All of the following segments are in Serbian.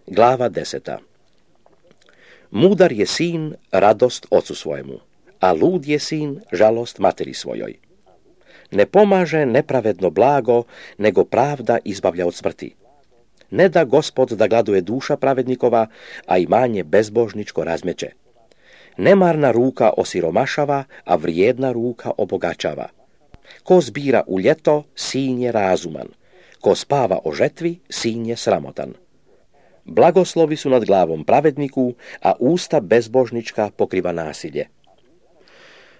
Glava 10. Mudar je sin radost ocu svojemu, a lud je sin žalost materi svojoj. Ne pomaže nepravedno blago, nego pravda izbavlja od smrti. Ne da Gospod da gladuje duša pravednikova, a imanje bezbožničko razmeće. Nemarna ruka osiromašava, a vrijedna ruka obogaćava. Ko zbira u ljeto, sin je razuman. Ko spava o žetvi, sin je sramotan. Blagoslovi su nad glavom pravedniku, a usta bezbožnička pokriva nasilje.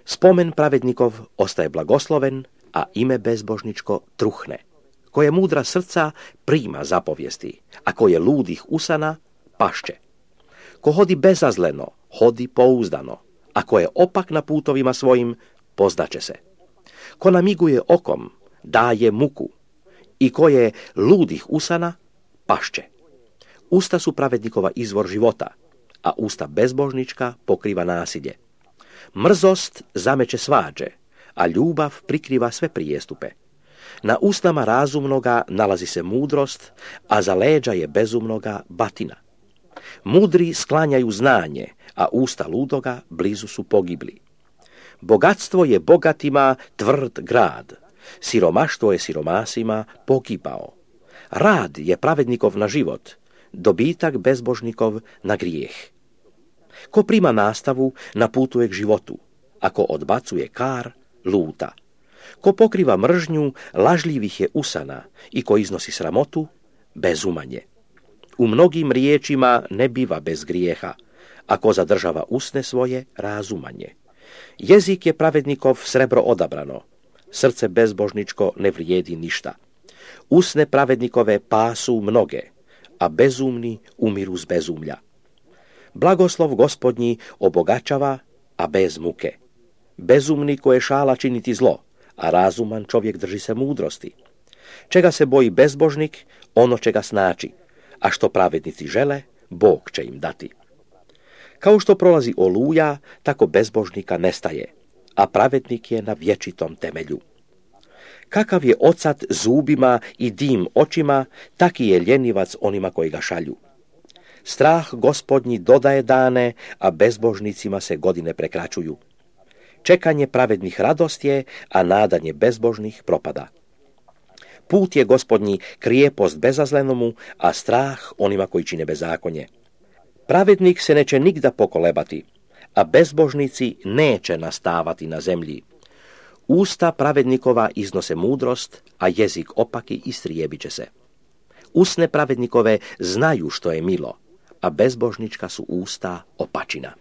Spomen pravednikov ostaje blagosloven, a ime bezbožničko truhne. Ko je mudra srca, prima zapovijesti, a ko je ludih usana, pašće. Ko hodi bezazleno, hodi pouzdano, a ko je opak na putovima svojim, poznaće se. Ko namiguje okom, daje muku, i ko je ludih usana, pašće. Usta su pravednikova izvor života, a usta bezbožnička pokriva nasilje. Mrzost zameće svađe, a ljubav prikriva sve prijestupe. Na usnama razumnoga nalazi se mudrost, a za leđa je bezumnoga batina. Mudri sklanjaju znanje, a usta ludoga blizu su pogibli. Bogatstvo je bogatima tvrd grad, siromaštvo je siromasima pogibao. Rad je pravednikov na život, dobitak bezbožnikov na grijeh. Ko prima nastavu, naputuje k životu, ako odbacuje kar, luta. Ko pokriva mržnju, lažljivih je usana, i ko iznosi sramotu, bezumanje. U mnogim riječima ne biva bez grijeha, a ko zadržava usne svoje, razumanje. Jezik je pravednikov srebro odabrano, srce bezbožničko ne vrijedi ništa. Usne pravednikove pasu mnoge, a bezumni umiru z bezumlja. Blagoslov Gospodnji obogaćava, a bez muke. Bezumni koje šala činiti zlo, a razuman čovjek drži se mudrosti. Čega se boji bezbožnik, ono čega snači, a što pravednici žele, Bog će im dati. Kao što prolazi oluja, tako bezbožnika nestaje, a pravednik je na vječitom temelju. Kakav je ocat zubima i dim očima, taki je ljenivac onima koji ga šalju. Strah Gospodnji dodaje dane, a bezbožnicima se godine prekraćuju. Čekanje pravednih radost je, a nadanje bezbožnih propada. Put je Gospodnji krijepost bezazlenomu, a strah onima koji čine bezakonje. Pravednik se neće nigda pokolebati, a bezbožnici neće nastavati na zemlji. Usta pravednikova iznose mudrost, a jezik opaki istrijebit će se. Usne pravednikove znaju što je milo, a bezbožnička su usta opačina.